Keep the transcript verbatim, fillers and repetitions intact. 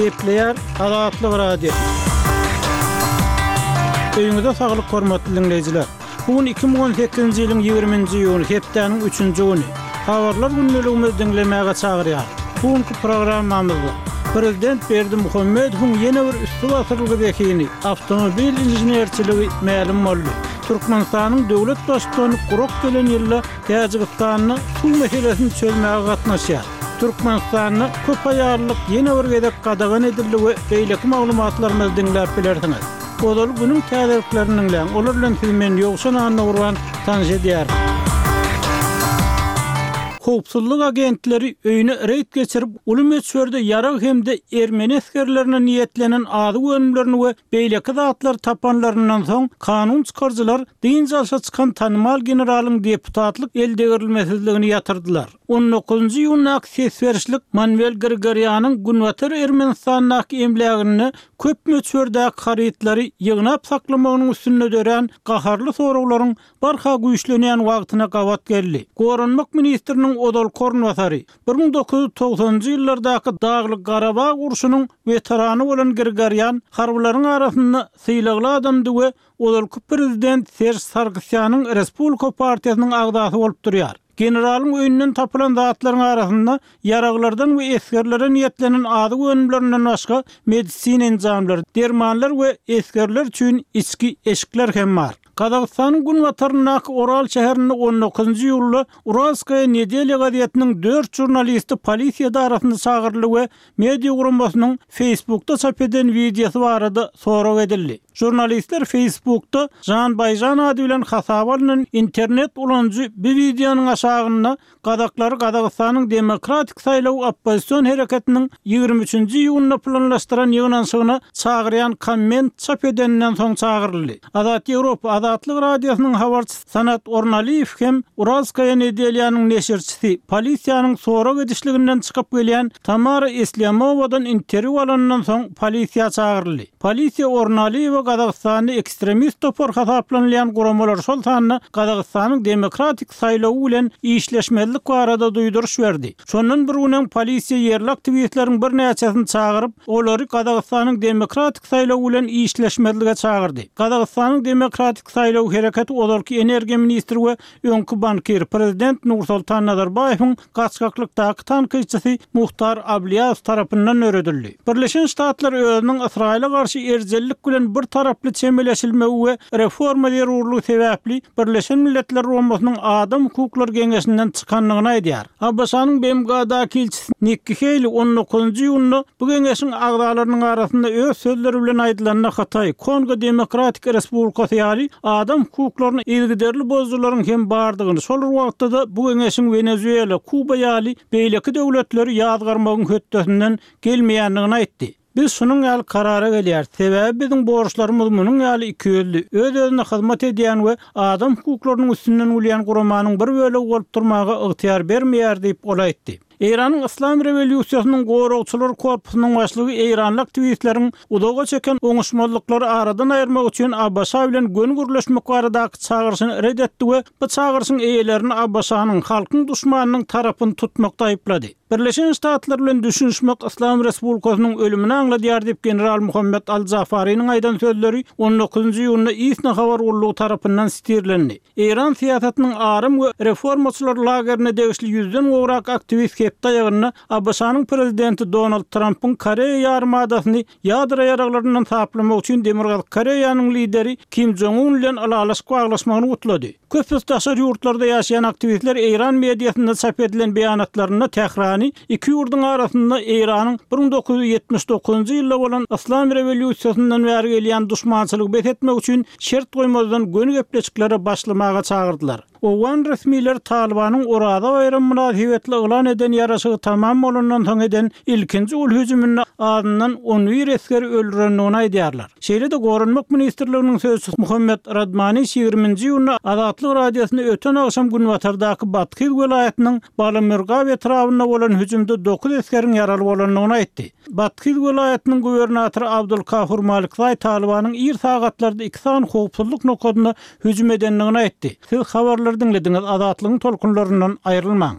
Gepleýär Azatlyk Radiosy. Öýüňize saglyk hormatly diňleýjiler. Bu gün iki müň on sekizinji ýylyň ýigriminji iýuny, hepdäniň üçünji güni. Habarlar gündeligimizi diňlemäge çagyrýarys. Bu günki programmamyzda Prezident Berdimuhamedowyň ýene bir üsti basyrylgy zehini, awtomobil inženerçiligi mälim boldy. Türkmenistanyň döwlet baştutany gurak gelen ýylda Täjigistanda suw meselesini çözmäge gatnaşýar. Türkmenistanda köp aýallylyk ýene bir gezek gadagan edildi we beýleki maglumatlarymyzy diňläp bilersiňiz. Ozal günüň täzeliklerini diňläň, olar bilen sizi men Ýowşan Annagurban tanyş edýärin. Howpsuzlyk agentleri öýüne reýd geçirip, uly möçberde ýarag hem-de ermeni esgerlerine niýetlenen azyk önümlerini we beýleki zatlary tapanlaryndan soň, kanun çykaryjylar dynç alşa çykan tanymal generalyň deputatlyk eldegrilmesizligini ýatyrdylar. On dokuzynjy iýundaky ses berişlik Manwel Grigorýanyň Günbatar Ermenistandaky emläginde köp möçberdäki harytlary ýygnap saklamagynyň üstünde dörän gaharly soraglaryň barha güýçlenýän wagtyna gabat geldi. Goranmak ministriniň ozalky orunbasary, bir müň dokuz ýüz togsanynjy ýyllardaky Daglyk Garabag urşunyň weterany bolan Grigorýan harbylaryň arasynda sylagly adamdy we ozalky prezident Serj Sargsýanyň Respublika partiýasynyň agzasy bolup durýar. Generalyň öýünden tapylan zatlaryň arasynda ýaraglardan we esgerlere niýetlenen azyk önümlerinden başga medisina enjamlary, dermanlar we esgerler üçin içki eşikler hem bar. Gazagystanyň günbataryndaky Oral şäherinde on dokuzynjy iýulda Uralskaya nedelya gazetiniň dört žurnalisti polisiýa edarasynda çagyryldy we media guramasynyň Facebookda çap eden wideosy barada sorag edildi. Žurnalistler Facebookda Jan Baýjan ady bilen hasaba alnan internet ulanyjy bir wideonyň aşagynda Gazaklary Gazagystanyň Demokratik saýlaw oppozision hereketiniň ýigrimi üçünji iýunda planlaşdyran ýygnanyşygyna çagyrýan komment çap edeninden soň çagyryldy. Azat Ýewropa Azatlyk Radiosynyň habarçysy Sanat Ornaliýew hem Uralskaya nedelýanyň neşirçisi, polisiýanyň sorag edişliginden çykyp gelýän Tamara Esliamowadan interwýu alandan soň polisiýa çagyryldy. Polisiýa Ornaliýewe Gazagystanda ekstremist topar hasaplanylýan guramalar, şol sanda Gazagystanyň Demokratik saýlawy bilen işleşmezlik barada duýduryş berdi. Şondan bir gün öň polisiýa ýerli aktiwistleriň birnäçesini çagyryp, olary Gazagystanyň Demokratik saýlawy bilen işleşmezlige çagyrdy. Gazagystanyň Demokratik saýlaw hereketi ozalky energiýa ministri we öňki bankir prezident Nursultan Nazarbaýewiň gaçgaklykdaky tankytçysy Muhtar Ablýazow tarapyndan döredildi. Birleşen Ştatlar özüniň Ysraýyla garşy erjellik bilen bir taraply çemeleşilmegi we reforma zerurlygy sebäpli Birleşen Milletler Guramasynyň Adam hukuklary geňeşinden çykandygyny aýdýar. A B Ş-nyň B M G-daky ilçisi Nikki Heýli on dokuzynjy iýunda bu geňeşiň agzalarynyň arasynda öz sözleri bilen aýdylanda Hytaý, Kongo Demokratik Respublikasy ýaly adam hukuklaryny yzygiderli bozujylaryň hem bardygyny, şol bir wagtda-da bu geňeşiň Wenezuela, Kuba ýaly beýleki döwletleri ýazgarmagyň hötdesinden gelmeýändigini aýtdy. Biz şunuň ýaly karara gelýäris, sebäbi biziň borçlarymyz munuň ýaly iki ýüzli, öz-özüne hyzmat edýän we adam hukuklarynyň üstünden gülýän guramanyň bir bölegi bolup durmaga ygtyýar bermeýär diýip ol aýtdy. Eýranyň Yslam rewolýusiýasynyň goragçylar korpusynyň başlygy eýranly aktiwistleriň uzaga çeken oňuşmazlyklary aradan aýyrmak üçin A B Ş bilen göni gürleşmek baradaky çagyryşyny ret etdi we bu çagyryşyň eýelerini A B Ş-nyň halkyň duşmanynyň tarapyny tutmakda aýyplady. Birleşen Ştatlar bilen düşünişmek Yslam Respublikasynyň ölümini aňladýar diýip general Muhammed Al-Jafariniň aýdan sözleri on dokuzynjy iýunda ISNA habar gullugy tarapyndan sitirlendi. Eýran syýasatynyň aram we reformaçylar lagerine degişli ýüzden gowrak aktiwist hepde aýagynda A B Ş-nyň prezidenti Donald Trumpyň Koreýa ýarymadasyny ýadro ýaraglaryndan saplamak üçin Demirgazyk Koreýanyň lideri Kim Jong-un bilen ylalaşyk baglaşmagyny gutlady. Köpüs daşary ýurtlarda ýaşaýan aktiwistler Eýran mediasynda çap edilen beýanatlarynda Tährany iki ýurduň arasynda Eýranyň bir müň dokuz ýüz ýetmiş dokuzynjy ýylda bolan Yslam rewolýusiýasyndan bäri gelýän duşmançylygy bes etmek üçin şert goýmazdan göni gepleşiklere başlamaga çagyrdylar. Owgan resmileri Talibanyň Oraza baýramy mynasybetli yglan eden ýaraşygy tamam bolandan soň eden ilkinji uly hüjüminde azyndan on bir esgeri öldürendigini aýdýarlar. Şeýle-de Goranmak ministrliginiň sözçüsi Muhammed Radmaniş ýigriminji iýunda Azatlyk Radiosyny öten agşam günbatardaky Bathyz welaýatynyň Balamürgap etrabynda bolan hüjümde dokuz esgeriň ýaraly bolandygyny aýtdy. Bathyz welaýatynyň gubernatory Abdulkahur Malikzaý Talibanyň ir sagatlarda iki sany howpsuzlyk nokadyna hüjüm edendigini aýtdy. Siz habarlary diňlediňiz, Azatlygyň tolkunlaryndan aýrylmaň.